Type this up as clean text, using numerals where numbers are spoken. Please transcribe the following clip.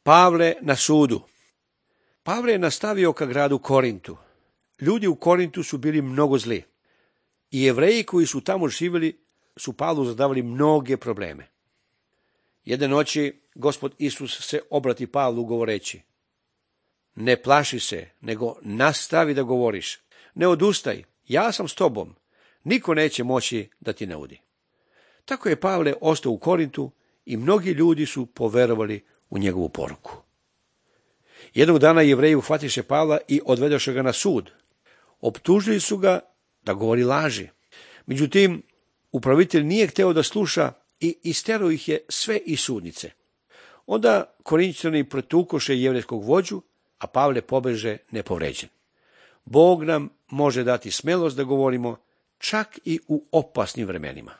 Pavle na sudu. Pavle je nastavio ka gradu Korintu. Ljudi u Korintu su bili mnogo zli. I Jevreji koji su tamo živjeli su Pavlu zadavali mnoge probleme. Jedne noći Gospod Isus se obrati Pavlu govoreći: ne plaši se, nego nastavi da govoriš. Ne odustaj, ja sam s tobom. Niko neće moći da ti naudi. Tako je Pavle ostao u Korintu i mnogi ljudi su poverovali u njegovu poruku. Jednog dana Jevreji uhvatiše Pavla i odvedoše ga na sud. Optužili su ga da govori laži. Međutim, upravitelj nije hteo da sluša i isterao ih je sve iz sudnice. Onda Korinćani pretukoše jevrejskog vođu, a Pavle pobeže nepovređen. Bog nam može dati smelost da govorimo čak i u opasnim vremenima.